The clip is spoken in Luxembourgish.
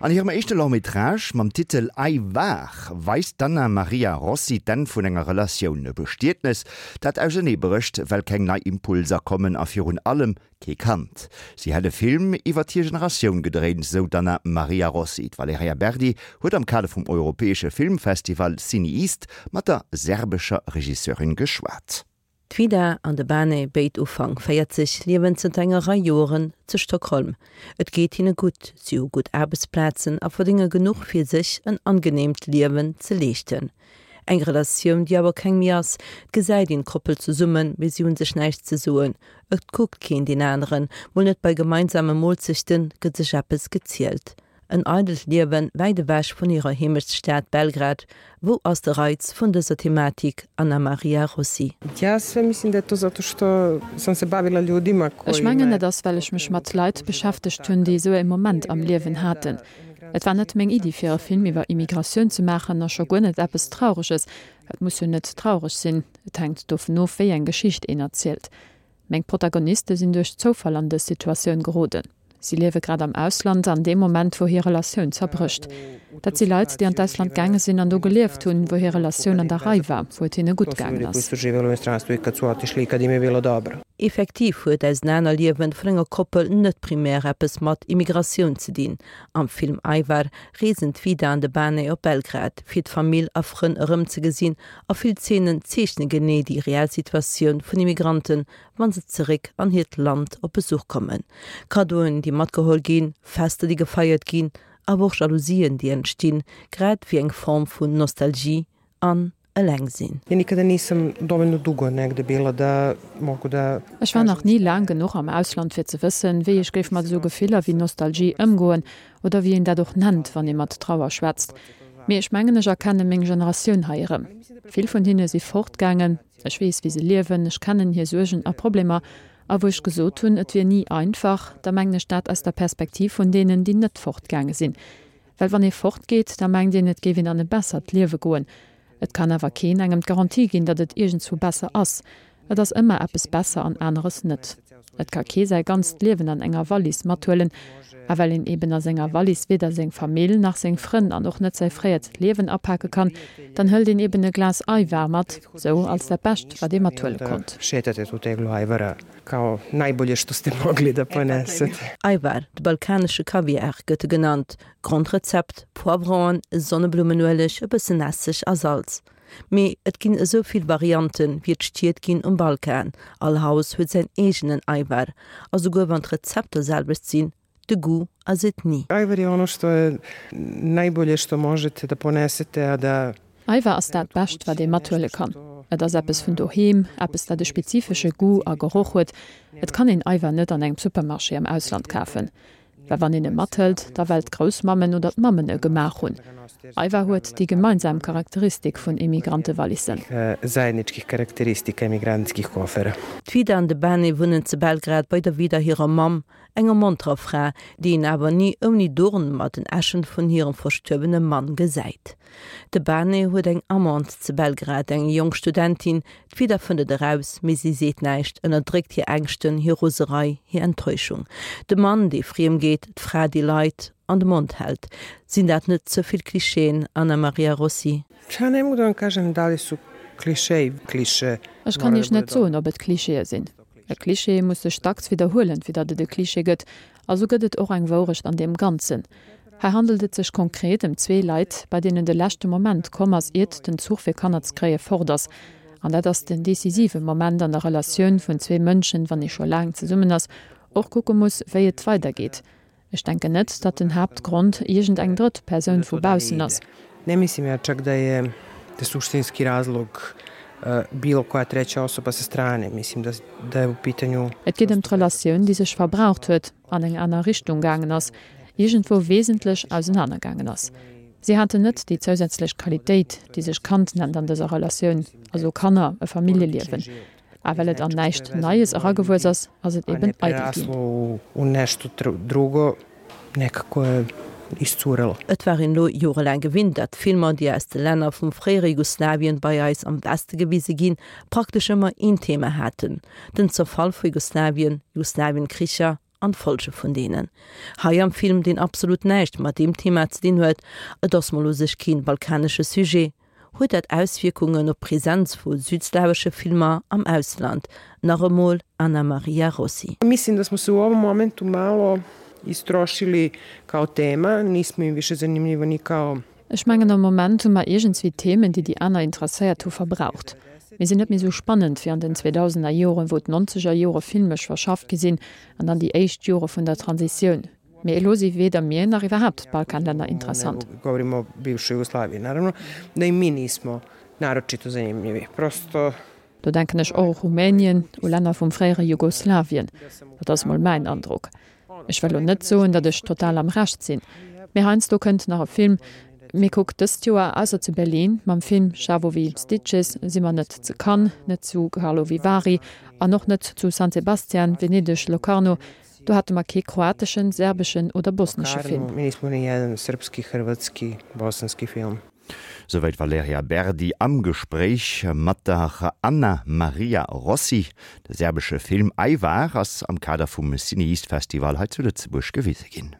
An hirem éischte Long-métrage mam Titel Ajvar weist d'Anna Maria Rossi d'Enn vun enger Relatioun, e Bestietnes, dat auserneebrécht, well keng nei Impulser kommen a virun allem kee Kand. Si hätt e Film iwwer hir Generatioun gedréint, sou d'Anna Maria Rossi. D'Valerija Berdi huet am Kader vum europäesche Filmfestival CinEast mat der serbescher Regisseurin geschwat. D'Vida an de Bane, béid Ufank 40, liewen zënter enger Rei Joeren zu Stockholm. Et geet hinne gutt, si hu gutt Aarbechtsplazen a verdénge genuch fir sech en angeneemt Liewen ze leeschten. Eng Relatioun, déi awer keng méi ass. Et gesäit een d'Koppel zesummen, mee si hu sech näischt ze soen. Et kuckt keen deen aneren, mol net bei gemeinsame Moolzechten gëtt sech eppes gezielt. En eidelt Liewen wäit ewech vun hirer Heemechtsstad Belgrad. Wou ass de Reiz vun dëser Thematik, Anna Maria Rossi? Ech mengen, dat ass, well ech mech mat Leit beschäftegt hunn, déi esou e Moment am Liewen haten. Et war net meng Iddi, fir e Film iwwer Immigratioun ze maachen a scho guer net eppes Traureges. Et muss jo net traureg sinn, et hänkt dovun of, wéi eng Geschicht een erzielt. Meng Protagoniste sinn duerch Zoufall an dës Situatioun geroden. Si liewe grad am Ausland an deem Moment, wou hir Relatioun zerbrécht. Dat si Leit, déi an d'Ausland gaange sinn an do gelieft hunn, wou hir Relatioun an der Rei war, wou et hinne gutt gaangen ass. Effektiv huet d'Ausenanerliewen vun enger Koppel net primär eppes mat Immigratioun ze dinn. Am Film Ajvar reesen d'Vida an de Bane op Belgrad, fir d'Famill a Frënn erëmzegesinn a vill Zeenen zeechne genee déi reell Situatioun vun Immigranten, wa se zeréck an hiert Land op Besuch kommen. Kaddoen, déi matgeholl ginn, Fester, déi gefeiert ginn, awer och Jalousien, déi entstinn, grad wéi eng Form vun Nostalgie an Elengsinn. Ech war nach ni laang genuch am Ausland fir ze wëssen, wéi ech géif mat esou Gefiller wéi Nostalgie ëmgoen, oder wéi een dat och nennt, wann ee mat Trauer schwätzt. Mee ech mengen, ech erkenne meng Generatioun hei erëm. Vill vun hinne si fortgaangen. Ech weess, wéi se liewen, ech kennen hir Suergen a Problemer. A wou ech gesot hunn, et wier ni einfach, da mengen ech dat aus der Perspektiv vun deenen, déi net fortgaange sinn. Well wann ee fortgeet, da mengt een, et géif een an e bessert Liewe goen. Et kann awer keen engem d'Garantie ginn, datt et iergendswou besser ass. Et ass ëmmer eppes besser an aneres net. Et ka kee säi ganzt Liewen an enger Wallis mathuelen. A well een eben a senger Wallis weder seng Famill, nach seng Frënn an och net säi fréiert Liewen apake kann, dann hëlt een eben e Glas Ajvar mat, sou als dat Bescht, wat ee mathuele konnt. Ajvar, de balkanesche Kaviar gëtt e genannt. Grondrezept, Poivronen, Sonneblummenueleg, e bëssen Esseg a Salz. Mee et ginn esou vill Varianten, wéi et Stied ginn um Balkan. All Haus huet säin eegenen Ajvar. A souguer wann d'Rezepter selwecht sinn, de Goût ass et ni. Ajvar je ono što je najbolje što možete da ponesete, a da. Ajvar ass dat Bescht, wat ee mathuele kann. Et ass eppes vun doheem, eppes, dat e spezifesche Goût a Geroch huet. Et kann een Ajvar net an engem Supermarché am Ausland kafen. Well wann een e mathëlt, da well d'Groussmammen oder d'Mammen e gemaach hunn. Ajvar huet déi gemeinsam Charakteristik vun Emigrantewallissen. D'Vida an de Bane wunnen zu Belgrad bei der Vida hirer Mamm, enger monterer Fra, déi een awer ni ouni Dorn mat den Äschen vun hirem verstuerwene Mann gesäit. De Bane huet eng Amante zu Belgrad, eng jonk Studentin, D'Vida fënnt et eraus, mee si seet näischt, ënnerdréckt hir Ängschten, hir Roserei, hir Enttäuschung. De Mann, dee friem geet, d'Fra, déi Leit an de Mond hält. Sinn dat net ze vill Klischeeën, Anna Maria Rossi? Ech kann Iech net soen, ob et Klischeeë sinn. E Klischee muss sech dacks widderhuelen, fir datt et e Klischee gëtt. A sou gëtt et och eng Wourecht an deem Ganzen. Hei handelt et sech konkret ëm zwee Leit, bei deenen de leschte Moment komm ass, iert den Zuch fir Kanner ze kréie fort ass. An dat ass den decisive Moment an der Relatioun vun zwee Mënschen, wann ee scho laang zesummen ass, och kucke muss, wéi et weidergeet. Ech denken net, datt den Haaptgrond iergend eng drëtt Persoun vu baussen ass. Ne mislim ja čak da je da suštinski razlog bilo koja treća osoba sa strane. Mislim da da je u pitanju. Et geet ëm d'Relatioun, déi sech verbraucht huet, an eng aner Richtung gaangen ass, iergendwou wesentlech ausenaner gaangen ass. Si haten net déi zousätzlech Qualitéit, déi sech Kand nennt an dëser Relatioun, also Kanner, e Familljeliewen. A well et an näischt Neies eragewuess ass, ass et eben eidel ginn. Et war een elo jorelaang gewinnt, dat Filmer, déi aus de Länner vum fréiere Jugoslawien bei eis am Weste gewise ginn, praktesch ëmmer een Thema haten, den Zerfall vu Jugoslawien, Jugoslawienkricher. an d'Folge vun deenen. Hei am Film, deen absolut näischt mat deem Thema ze dinn huet, et ass mol u sech keen balkanesche Sujet, huet dat Auswierkungen op d'Präsenz vu südslawesche Filmer am Ausland. Nach emol Anna Maria Rossi. Mislim, da smo se u ovom momentu malo istrošili kao tema, nismo im više zanimljivo ni kao Ech mengen am Moment hu mer iergendswéi d'Themen, déi déi aner interesséiert hu, verbraucht. Mir sinn net méi sou spannend wéi an den 2000er Joren, wou d'nonzeger Jore filmesch verschafft gi sinn an dann déi éischt Jore vun der Transitioun. Mee elo si weder mir nach iwwerhaapt d'Balkanlänner interessant. Do denken ech och u Rumänien, u Länner vum fréiere Jugoslawien. Dat ass mol mäin Androck. Ech wëll lo net soen, datt ech total am Recht sinn, mee heiansdo kënnt nach e Film. Mee kuck, dëst Joer, ausser zu Berlin mam Film Schawowi Stitches, si mer net zu Cannes, net zu Karlovy Vary an och net zu San Sebastian, Venedeg, Locarno. Do hate mer kee kroateschen, serbeschen oder bosnesche Film. Souwäit d'Valerija Berdi am Gespréich mat der Anna Maria Rossi. De serbesche Film Ajvar ass am Kader vum CinEast Festival hei zu Lëtzebuerg gewise ginn.